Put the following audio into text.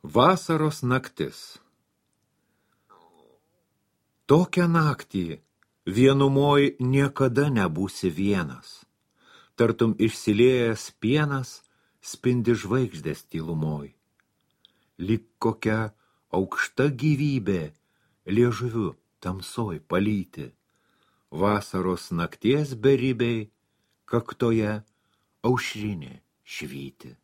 Vasaros naktis. Tokią naktį vienumoj niekada nebūsi vienas. Tartum išsiliejęs pienas spindi žvaigždės tylumoj. Lyg kokia aukšta gyvybė liežuviu tamsoj palyti. Vasaros nakties beribiai kaktoje aušrinė švyti.